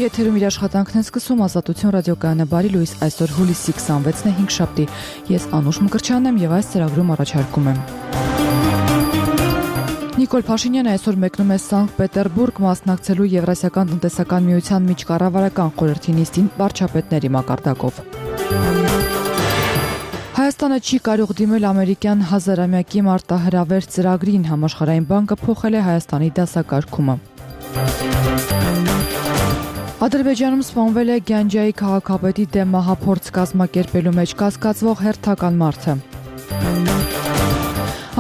եթերում իր աշխատանքն է սկսում Ազատություն ռադիոկայանը բարի լույս այսօր հուլիսի 26-ն է 5 շաբթի։ Ես Անուշ Մկրտչյանն եմ եւ այս ծրագրում առաջարկում եմ։ Նիկոլ Փաշինյանը այսօր մեկնում է Սանկտ Պետերբուրգ մասնակցելու Եվրասիական տնտեսական միության միջկառավարական խորհրդի նիստին վարչապետների մակարդակով։ Հայաստանը չի կարող դիմել ամերիկյան հազարամյակի մարտահրավեր ծրագրին, համաշխարհային բանկը փոխել է Հայաստանի դասակարգումը։ Ադրբեջանում սպանվել է Գանջայի քաղաքապետի դեմ մահափորձ կազմակերպելու մեջ կասկածվող հերթական մարդը։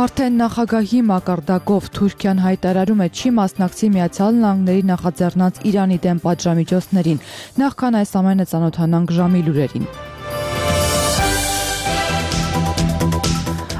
Արդեն նախագահի մակարդակով Թուրքիան հայտարարում է չի մասնակցի Միացյալ Նահանգների նախաձեռնած Իրանի դեմ պատժամիջոցներին, նախքան այս ամենը ծանոթանանք ժամի լուրերին։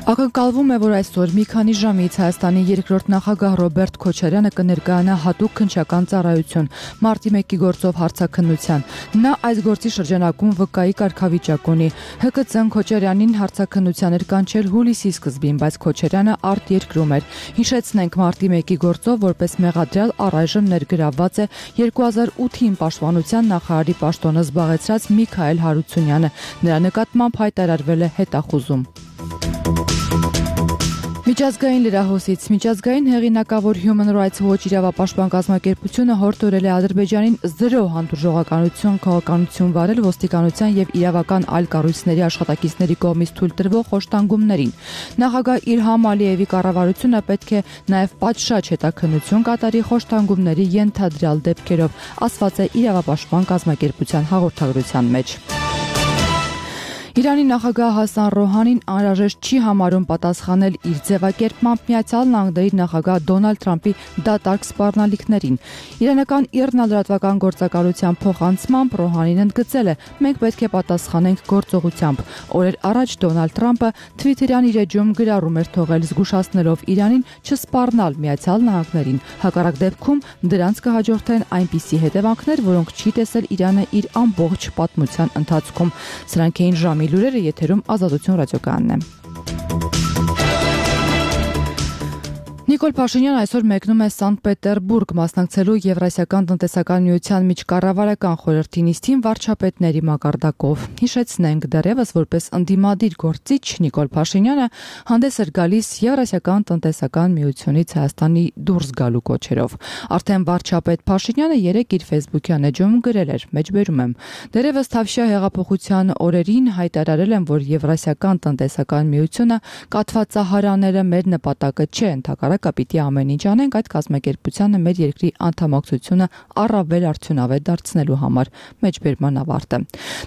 Ակնկալվում է, որ այսօր մի քանի ժամից Հայաստանի երկրորդ նախագահ Ռոբերտ Քոչարյանը կներկայանա հատուկ քննչական ծառայություն մարտի 1-ի գործով հարցաքննության։ Նա այս գործի շրջանակում վկայի կարգավիճակ ունի։ ՀԿՑ-ն Քոչարյանին հարցաքննության էր կանչել հուլիսի սկզբին, բայց Քոչարյանը արտերկրում էր։ Հիշեցնենք, մարտի 1-ի գործով որպես մեղադրյալ առայժմ ներգրավված է 2008-ին Պաշտպանության նախարարի պաշտոնը զբաղեցրած Միքայել Հարությունյանը։ Նրա նկատմամբ հայտարարվել է հետախուզում։ Միջազգային լրահոսից միջազգային հեղինակավոր Human Rights Watch իրավապաշտպան կազմակերպությունը հորդորել է Ադրբեջանին 0 հանդուրժողականություն քաղաքականություն վարել ոստիկանության եւ իրավական այլ կառույցների աշխատակիցների կողմից թույլ տրվող խոշտանգումներին։ Նախագահ Իլհամ Ալիևի կառավարությունը պետք է նաեւ պատշաճ հետաքննություն կատարի խոշտանգումների ենթադրյալ դեպքերով, ասված է իրավապաշտպան կազմակերպության հաղորդագրության մեջ։ Իրանի նախագահ Հասան Ռոհանին անհրաժեշտ չի համարում պատասխանել իր ձևակերպմամբ Միացյալ Նահանգների նախագահ Դոնալդ Թրամփի դատարկ սպառնալիքներին։ Իրանական ԻՌՆԱ լրատվական գործակալության փոխանցմամբ Ռոհանին ընդգծել է. «Մենք պետք է պատասխանենք գործողությամբ»։ Օրեր առաջ Դոնալդ Թրամփը Թվիթերյան իր էջում գրառում էր թողել զգուշացնելով Իրանին չսպառնալ Միացյալ Նահանգներին։ Հակառակ դեպքում դրանց կհաջորդեն այնպիսի հետևանքներ, որոնք չի տեսել Իրանը իր ամբողջ պատմության ընթացքում։ Սրանք էին ժամի լուրերը, եթերում Ազատություն ռադիոկայանն է։ Նիկոլ Փաշինյանը այսօր մեկնում է Սանկտ Պետերբուրգ մասնակցելու Եվրասիական տնտեսական միության միջկառավարական խորհրդի նիստին վարչապետների մակարդակով։ Հիշեցնենք, դեռևս որպես ընդդիմադիր գործիչ Նիկոլ Փաշինյանը հանդես էր գալիս Եվրասիական տնտեսական միությունից Հայաստանի դուրս գալու կոչերով։ Արդեն վարչապետ Փաշինյանը երեկ իր Facebook-յան էջում գրել էր. «Մեջբերում եմ։ Դեռևս Թավշյա հեղափոխության օրերին հայտարարել եմ, որ Եվրասիական տնտեսական միությունը կաթվածահարանելը մեր նպատակը չէ, ընդհակառակը պիտի ամեն ինչ անենք այդ կազմակերպությանը մեր երկրի անդամակցությունը առավել արդյունավետ դարձնելու համար»։ Մեջբերման ավարտը։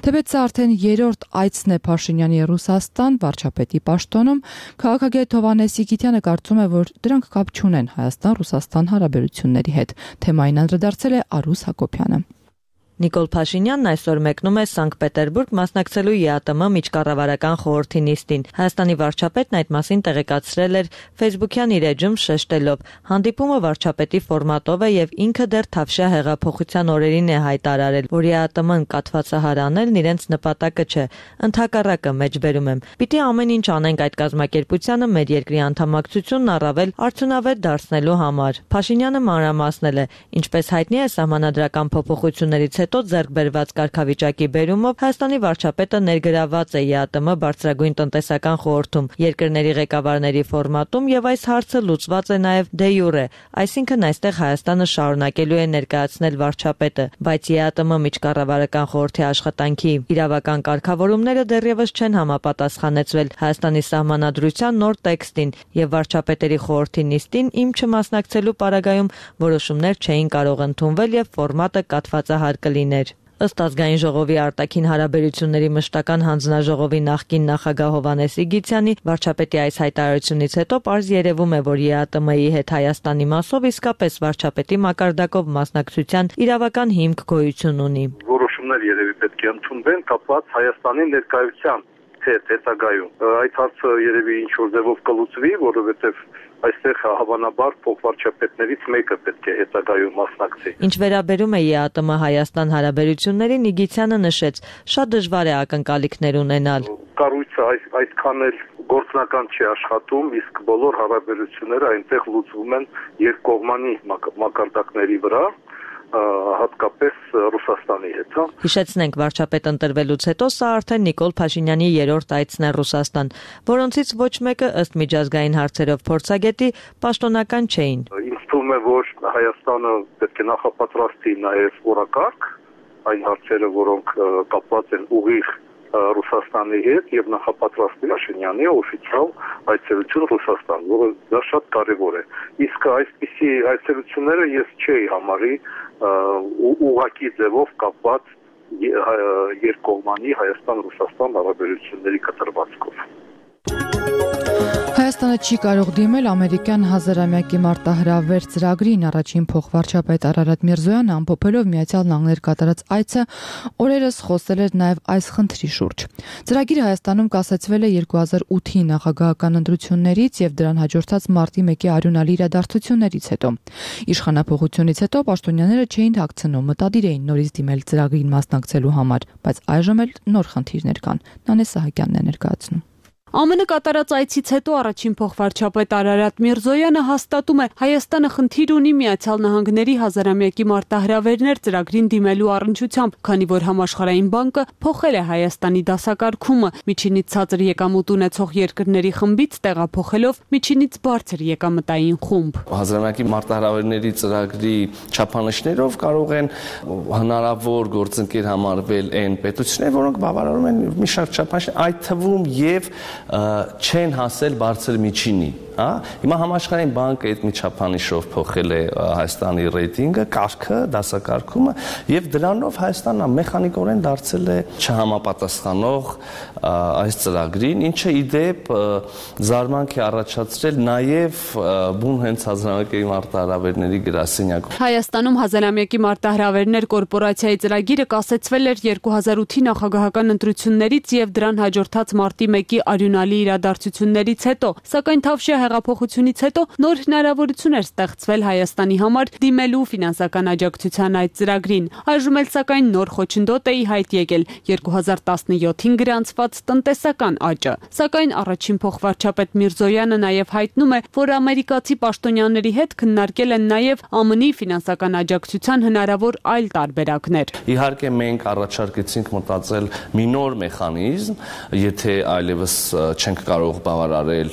Թեպետ սա արդեն երրորդ այցն է Փաշինյանի Ռուսաստան վարչապետի պաշտոնում, քաղաքագետ Հովհաննես Սիգիթյանը կարծում է, որ դրանք կապ չունեն Հայաստան-Ռուսաստան հարաբերությունների հետ։ Թեմային անդրադարձել է Արուս Հակոբյանը։ Նիկոլ Փաշինյանն այսօր մեկնում է Սանկտ Պետերբուրգ մասնակցելու ԵԱՏՄ միջկառավարական խորհրդի նիստին։ Հայաստանի վարչապետն այդ մասին տեղեկացրել էր Facebook-յան իր էջում շեշտելով. «Հանդիպումը վարչապետի ֆորմատով է եւ ինքը դեռ Թավշյա հեղափոխության օրերին է հայտարարել, որ ԵԱՏՄ-ն կաթվածահարանելն իրենց նպատակը չէ, ընդհակառակը մեջբերում եմ։ Պիտի ամեն ինչ անենք այդ կազմակերպությանը մեր երկրի անդամակցությունն առավել արդյունավետ դարձնելու համար»։ Փաշինյանը մանրամասնել է. «Ինչպես հայտնի է, սահմանադրական փոփոխություններից հետո ձեռք բերված կարգավիճակի բերումով Հայաստանի վարչապետը ներգրավված է ԵԱՏՄ բարձրագույն տնտեսական խորհրդում երկրների ղեկավարների ֆորմատում եւ այս հարցը լուծված է նաեւ դե յուրե, այսինքն այստեղ Հայաստանը շարունակելու է ներկայացնել վարչապետը, բայց ԵԱՏՄ միջկառավարական խորհրդի աշխատանքի իրավական կարգավորումները դեռևս չեն համապատասխանեցվել Հայաստանի սահմանադրության նոր տեքստին եւ վարչապետերի խորհրդի նիստին իմ չմասնակցելու պարագայում որոշումներ չէին կարող ընդունվել եւ ֆորմատը կաթվածահար կլիներ։ Ըստ Ազգային ժողովի արտաքին հարաբերությունների մշտական հանձնաժողովի նախկին նախագահ Հովհաննես Սիգիթյանի վարչապետի այս հայտարարությունից հետո պարզ երևում է, որ ԵԱՏՄ-ի հետ Հայաստանի մասով իսկապես վարչապետի մակարդակով մասնակցության իրավական հիմք գոյություն ունի։ Որոշումներ երևի պետք է ընդունվեն կապված Հայաստանի ներկայության հետ հետագայում։ Այդ հարցը երևի ինչ-որ ձևով կլուծվի, որովհետև այստեղ հավանաբար փոխվարչապետներից մեկը պետք է հետագայում մասնակցի։ Ինչ վերաբերում է ԵԱՏՄ Հայաստան հարաբերություններին, Նիգիթյանը նշեց, շատ դժվար է ակնկալիքներ ունենալ։ Կառույցը այսքան էլ գործնական չի աշխատում, իսկ բոլոր հարաբերությունները այնտեղ լուծվում են երկկողմանի մակարդակների վրա։ հատկապես Ռուսաստանի հետ, հա։ Հիշեցնենք, վարչապետ ընտրվելուց հետո սա արդեն Նիկոլ Փաշինյանի երրորդ այցն է Ռուսաստան, որոնցից ոչ մեկը ըստ միջազգային հարցերով փորձագետի պաշտոնական չէին։ Ինձ թվում է, որ Հայաստանը պետք է նախապատրաստի նաև օրակարգ այն հարցերը, որոնք կապված են ուղիղ Ռուսաստանի հետ եւ նախապատրաստի Փաշինյանի օֆիցիալ այցելություն Ռուսաստան, որը դա շատ կարեւոր է։ Իսկ այսպիսի այցելությունները ես չէի համարի ուղղակի ձևով կապված երկկողմանի Հայաստան-Ռուսաստան հարաբերությունների կտրվածքով։ Հայաստանը չի կարող դիմել ամերիկյան հազարամյակի մարտահրավեր ծրագրին, առաջին փոխվարչապետ Արարատ Միրզոյանը ամփոփելով Միացյալ Նահանգներ կատարած այցը օրերս խոսել էր նաև այս խնդրի շուրջ։ Ծրագիրը Հայաստանում կասեցվել է 2008-ի նախագահական ընտրություններից եւ դրան հաջորդած մարտի 1-ի արյունալի իրադարձություններից հետո։ Իշխանափոխությունից հետո պաշտոնյաները չէին թաքցնում, մտադիր էին նորից դիմել ծրագրին մասնակցելու համար, բայց այժմ էլ նոր խնդիրներ կան։ Նանե Սահակյանն է ներկայացնում։ ԱՄՆ կատարած այցից հետո առաջին փոխվարչապետ Արարատ Միրզոյանը հաստատում է Հայաստանը խնդիր ունի Միացյալ Նահանգների հազարամյակի մարտահրավերներ ծրագրին դիմելու առնչությամբ, քանի որ համաշխարհային բանկը փոխել է Հայաստանի դասակարգումը միջինից ցածր եկամուտ ունեցող երկրների խմբից տեղափոխելով միջինից բարձր եկամտային խումբ։ Հազարամյակի մարտահրավերների ծրագրի չափանիշներով կարող են հնարավոր գործընկեր համարվել այն պետություններ, որոնք բավարարում են մի շարք չափանիշներ, այդ թվում եւ չեն հասել բարձր միջինի, հա։ Հիմա համաշխարհային բանկը այդ միջափանիշով փոխել է Հայաստանի ռեյտինգը, կարգը, դասակարգումը եւ դրանով Հայաստանը մեխանիկորեն դարձել է չհամապատասխանող այս ծրագրին, ինչը ի դեպ զարմանք է առաջացրել նաեւ բուն հենց հազարամյակի մարտահրավերների գրասենյակում։ Հայաստանում հազարամյակի մարտահրավերներ կորպորացիայի ծրագիրը կասեցվել էր 2008-ի նախագահական ընտրություններից եւ դրան հաջորդած մարտի 1-ի արյունալի իրադարձություններից հետո, սակայն Թավշյա հեղափոխությունից հետո նոր հնարավորություն էր ստեղծվել Հայաստանի համար դիմելու ֆինանսական աջակցության այդ ծրագրին։ Այժմ էլ սակայն նոր խոչընդոտ է ի հայտ եկել 2017-ին գրանցված տնտեսական աճը։ Սակայն առաջին փոխվարչապետ Միրզոյանը նաև հայտնում է, որ ամերիկացի պաշտոնյաների հետ քննարկել են նաև ԱՄՆ-ի ֆինանսական աջակցության հնարավոր այլ տարբերակներ։ Իհարկե մենք առաջարկեցինք մտածել մի նոր մեխանիզմ, եթե այլևս չենք կարող բավարարել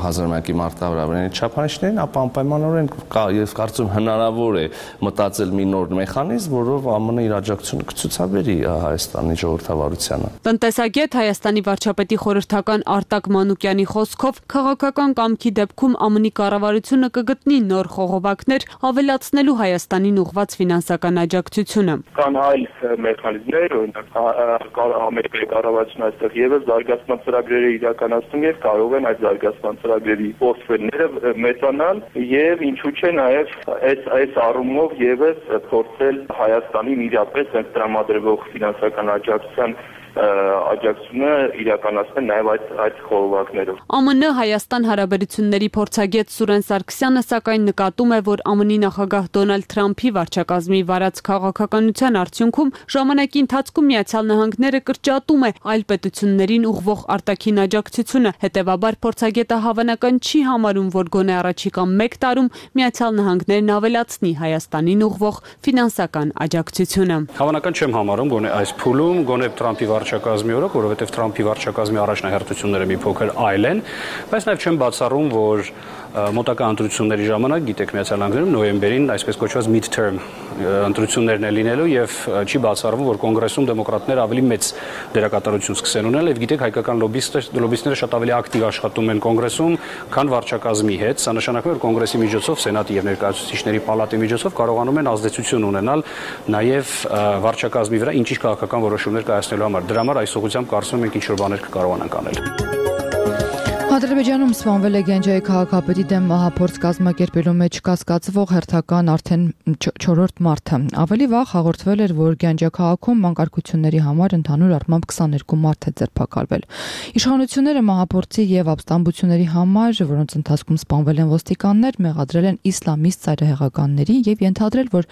հազարամյակի մարտահրավերների չափանիշներին, ապա անպայմանորեն ես կարծում հնարավոր է մտածել մի նոր մեխանիզմ, որով ԱՄՆ-ը իր աջակցությունը կցուցաբերի Հայաստանի ժողովրդավարությանը։ Տնտեսագետ Հայաստանի վարչապետի խորհրդական Արտակ Մանուկյանի խոսքով քաղաքական կամքի դեպքում ԱՄՆ-ի կառավարությունը կգտնի նոր խողովակներ ավելացնելու Հայաստանին ուղղված ֆինանսական աջակցությունը։ Կան այլ մեխանիզմներ, օրինակ Ամերիկայի կառավարությունը այստեղ եւս զարգացման ծրագրերը իրականացնում եւ կարող են այդ զարգացման ծրագրերի պորտֆելները մեծանալ եւ ինչու՞ չէ նաեւ այս առումով եւս փորձել Հայաստանին իրապես այդ տրամադրվող ֆինանսական աջակցությունը իրականացնել նաև այդ խորհրդակներով։ ԱՄՆ Հայաստան հարաբերությունների փորձագետ Սուրեն Սարգսյանը սակայն նկատում է, որ ԱՄՆ-ի նախագահ Դոնալդ Թրամփի վարչակազմի վարած քաղաքականության արդյունքում ժամանակի ընթացքում Միացյալ Նահանգները կրճատում է այլ պետություններին ուղղվող արտաքին աջակցությունը։ Հետևաբար փորձագետը հավանական չի համարում, որ գոնե առաջիկա 1 տարում Միացյալ Նահանգներն ավելացնի Հայաստանին ուղղվող ֆինանսական աջակցությունը։ Հավանական չեմ համարում, գոնե այս փուլում, գոնե Թրամփի վարչակազմի օրոք, որովհետև Թրամփի վարչակազմի առաջնահերթությունները մի փոքր այլ են, բայց նաև չեմ բացառում, որ մոտակա ընտրությունների ժամանակ, գիտեք, Միացյալ Նահանգներում նոյեմբերին այսպես կոչված mid-term ընտրություններն է լինելու եւ չի բացառվում, որ կոնգրեսում դեմոկրատները ավելի մեծ դերակատարություն սկսեն ունենալ եւ գիտեք, հայկական լոբիստները շատ ավելի ակտիվ աշխատում են կոնգրեսում, քան վարչակազմի հետ։ Սա նշանակում է, որ կոնգրեսի միջոցով, սենատի եւ ներկայացուցիչների պալատի միջոցով կարողանում են ազդեցություն ունենալ նաեւ վարչակազմի վրա ինչ-ինչ քաղաքական որոշումներ կայացնելու համար։ Դրա համար այս ուղղությամբ կարծում եմ ինչ որ բաներ կկարողանանք անել։ Ադրբեջանում սպանվել է Գենջայի քաղաքապետի դեմ մահափորձ կազմակերպելու մեջ կասկածվող հերթական արդեն 4-րդ մարդը։ Ավելի վաղ հաղորդվել էր, որ Գենջա քաղաքում մանկարգությունների համար ընդհանուր առմամբ 22 մարդ է ձերբակալվել։ Իշխանությունները մահափորձի եւ ապստամբությունների համար, որոնց ընթացքում սպանվել են ոստիկաններ, մեղադրել են իսլամիստ ծայրահեղականների եւ ենթադրել, որ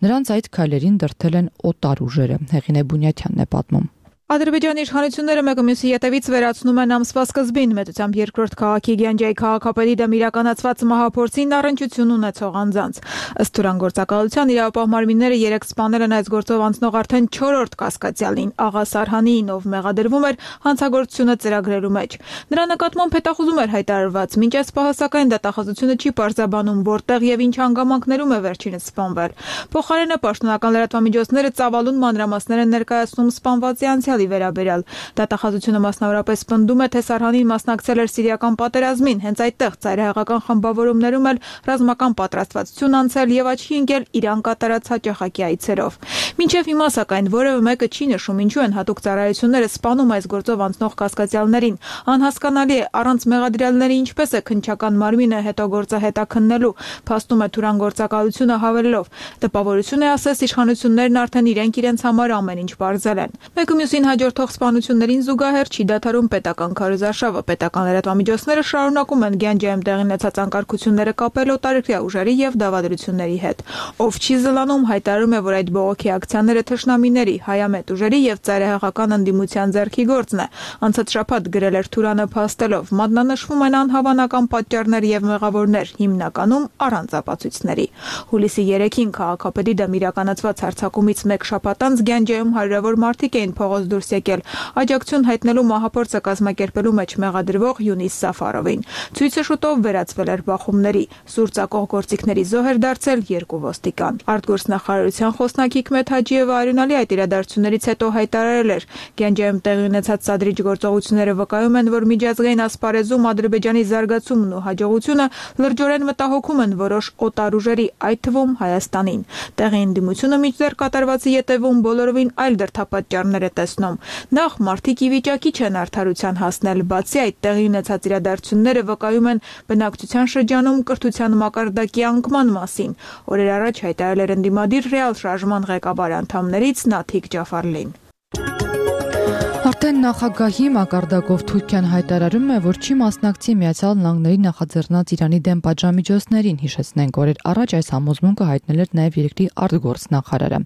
նրանց այդ քայլերին դրդել են օտար ուժերը։ Հեղինե Բունյաթյանն է պատմում։ Ադրբեջանի իշխանությունները մեկը մյուսի ետևից վերացնում են ամսվա սկզբին մեծությամբ երկրորդ քաղաքի Գյանջայի քաղաքապետի դեմ իրականացված մահափորձին առնչություն ունեցող անձանց։ Ըստ Թուրան գործակալության իրավապահ մարմինները 3 սպանել են այս գործով անցնող արդեն 4-րդ կասկածյալին Աղա Սարհանիին, ով մեղադրվում էր հանցագործությունը ծրագրելու մեջ։ Նրա նկատմամբ հետախուզում էր հայտարարված, մինչ այս պահը սակայն դատախազությունը չի պարզաբանում որտեղ եւ ինչ հանգամանքներում է վերջինս սպանվել։ Փոխարենը պաշտոնական լրատվամիջոցները ծավալուն մանրամասներ են ներկայացնում սպանվածի անցյալի վերաբերյալ։ Դատախազությունը մասնավորապես պնդում է, թե Սարհանին մասնակցել էր սիրիական պատերազմին, հենց այդտեղ ծայրահեղական խմբավորումներում էլ ռազմական պատրաստվածություն անցել եւ աչքի ընկել Իրան կատարած հաճախակի այցերով։ Մինչև հիմա սակայն որևէ մեկը չի նշում ինչու են հատուկ ծառայությունները սպանում այս գործով անցնող կասկածյալներին։ Անհասկանալի է առանց մեղադրյալների ինչպես է քննչական մարմինը հետո գործը հետաքննելու, փաստում է Թուրան գործակալությունը հավելելով։ Տպավորություն է ասես իշխանություններն արդեն իրենց համար ամեն ինչ բարձել են։ Մեկը մյուսին հաջորդող սպանություններին զուգահեռ չի դադարում պետական քարոզարշավը։ Պետական լրատվամիջոցները շարունակում են Գյանջայում տեղի ունեցած անկարգությունները կապել օտարերկրյա ուժերի եւ դավադրությունների հետ։ Ով չի զլանում, հայտարարում է, որ այդ բողոքի ակցիաները թշնամիների, հայամետ ուժերի եւ ծայրահեղական ընդդիմության ձեռքի գործն է։ Անցած շաբաթ գրել էր Թուրանը փաստելով. մատնանշվում են անհավանական պատճառներ եւ մեղավորներ, հիմնականում առանց ապացույցների։ Հուլիսի 3-ին քաղաքապետի դեմ իրականացված հարձակումից 1 շաբաթ անց Գյանջայում հարյուրավոր մարդիկ էին փողոց դուրս եկել աջակցություն հայտնելու մահափորձը կազմակերպելու մեջ մեղադրվող Յունիս Սաֆարովին։ Ցույցը շուտով վերածվել էր բախումների։ Սուր ծակող գործիքների զոհ էր դարձել 2 ոստիկան։ Արտգործնախարարության խոսնակ Հիկմեթ Հաջիևը արյունալի այդ իրադարձություններից հետո հայտարարել էր. Գյանջայում տեղի ունեցած սադրիչ գործողությունները վկայում են, որ միջազգային ասպարեզում Ադրբեջանի զարգացումն ու հաջողությունը լրջորեն մտահոգում են որոշ օտար ուժերի, այդ թվում Հայաստանին։ Տեղի ընդդիմությունը մինչդեռ կատարվածի ետևում բոլորովին այլ դրդապատճառներ է տեսնում։ Նախ մարդիկ ի վիճակի չեն արդարության հասնել, բացի այդ տեղի ունեցած իրադարձությունները վկայում են բնակչության շրջանում կրթության մակարդակի անկման մասին։ Օրեր առաջ հայտարարել էր ընդդիմադիր ռեալ շարժման ղեկավար անդամներից Նաթիկ Ջաֆարլին։ Արդեն նախագահի մակարդակով Թուրքիան հայտարարում է, որ չի մասնակցի Միացյալ Նահանգների նախաձեռնած Իրանի դեմ պատժամիջոցներին, հիշեցնենք, օրեր առաջ այս համոզմունքը հայտնել էր նաև երկրի արտգործնախարարը։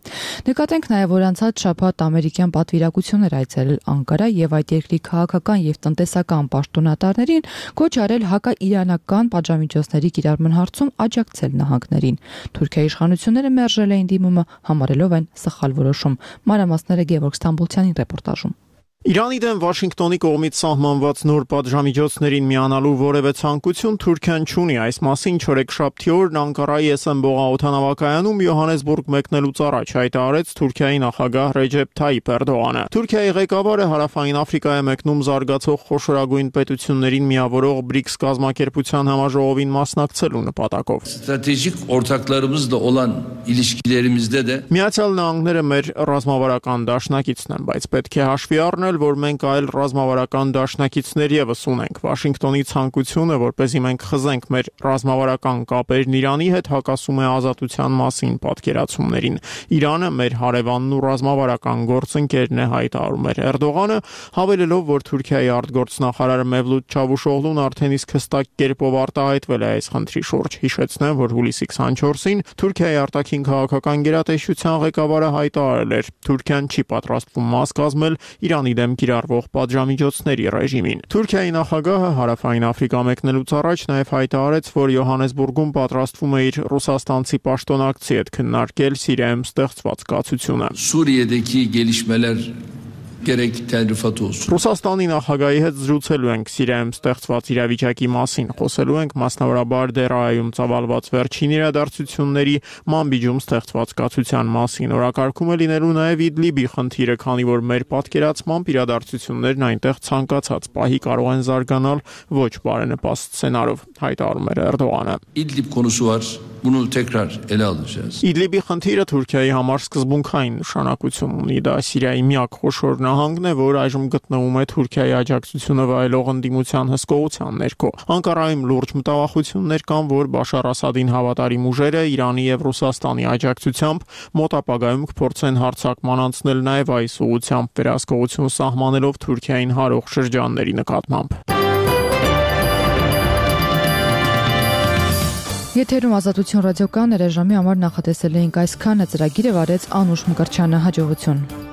Նկատենք նաև, որ անցած շաբաթ ամերիկյան պատվիրակություն էր այցելել Անկարա եւ այդ երկրի քաղաքական եւ տնտեսական պաշտոնատարներին կոչ արել հակաիրանական պատժամիջոցների կիրառման հարցում աջակցել նահանգներին։ Թուրքիայի իշխանությունները մերժել էին դիմումը, համարելով այն սխալ որոշում։ Մանրամասները Գևորգ Ստամբուլցյանի ռեպորտաժում։ Իրանի դեմ Վաշինգտոնի կողմից սահմանված նոր պատժամիջոցներին միանալու որևէ ցանկություն Թուրքիան չունի։ Այս մասին չորեքշաբթի օրն Անկարայի Էսենբողա օդանավակայանում Յոհանեսբուրգ մեկնելուց առաջ հայտարարեց Թուրքիայի նախագահ Ռեջեփ Թայիփ Էրդողանը։ Թուրքիայի ղեկավարը Հարավային Աֆրիկայի մեկնում զարգացող խոշորագույն պետություններին միավորող BRICS կազմակերպության համաժողովին մասնակցելու նպատակով։ Stratejic ortaklarımızla olan ilişkilerimizde de Միացյալ Նահանգները մեր ռազմավարական դաշնակիցն են, բայց պետք է հաշվի առնել, որ մենք այլ ռազմավարական դաշնակիցներ եւս ունենք։ Վաշինգտոնի ցանկությունը, որպեսզի մենք խզենք մեր ռազմավարական կապերն Իրանի հետ, հակասում է ազատության մասին պատկերացումներին։ Իրանը մեր հարևանն ու ռազմավարական գործընկերն է, հայտարարում էր Էրդողանը, հավելելով, որ Թուրքիայի արտգործնախարար Մևլութ Չավուշօղլուն արդեն իսկ հստակ կերպով արտահայտվել է այս խնդրի շուրջ։ Հիշեցնեմ, որ հուլիսի 24-ին Թուրքիայի արտաքին քաղաքական գերատեսչության ղեկավարը հայտարարել էր. Թուրքիան չի պատրաստվում մաս կազմել Իրանի դեմ կիրառվող պատժամիջոցների ռեժիմին։ Թուրքիայի նախագահը Հարավային Աֆրիկա մեկնելուց առաջ նաև հայտարարեց, որ Յոհանեսբուրգում պատրաստվում է իր ռուսաստանցի պաշտոնակցի հետ քննարկել Սիրիայում ստեղծված կացությունը։ Suriye'deki gelişmeler gerek Telrifat olsun. Ռուսաստանի նախագահի հետ զրուցելու ենք Սիրիայում ստեղծված իրավիճակի մասին, խոսելու ենք մասնավորաբար Դերայում ծավալված վերջին իրադարձությունների, Մանբիջում ստեղծված կացության մասին։ Օրակարգում է լինելու նաև Իդլիբի խնդիրը, քանի որ մեր պատկերացմամբ իրադարձություններն այնտեղ ցանկացած պահի կարող են զարգանալ ոչ բարենպաստ սցենարով, հայտարարում էր Էրդողանը։ İdlib konusu var. Bunu tekrar ele alacağız. Իդլիբի խնդիրը Թուրքիայի համար սկզբունքային նշանակություն ունի։ Դա Սիրիայի միակ խոշոր նահանգն է, որ այժմ գտնվում է Թուրքիայի աջակցությունը վայելող ընդդիմության հսկողության ներքո։ Անկարայում լուրջ մտավախություններ կան, որ Բաշար Ասադին հավատարիմ ուժերը Իրանի եւ Ռուսաստանի աջակցությամբ մոտ ապագայում կփորձեն հարձակման անցնել նաև այս ուղղությամբ, վերահսկողություն սահմանելով Թուրքիային հարող շրջանների նկատմամբ։ Եթերում Ազատություն ռադիոկայանը ռեժիմի համար նախատեսել էինք այսքանը, ծրագիրը վարեց Անուշ Մկրտչյանը, հաջողություն։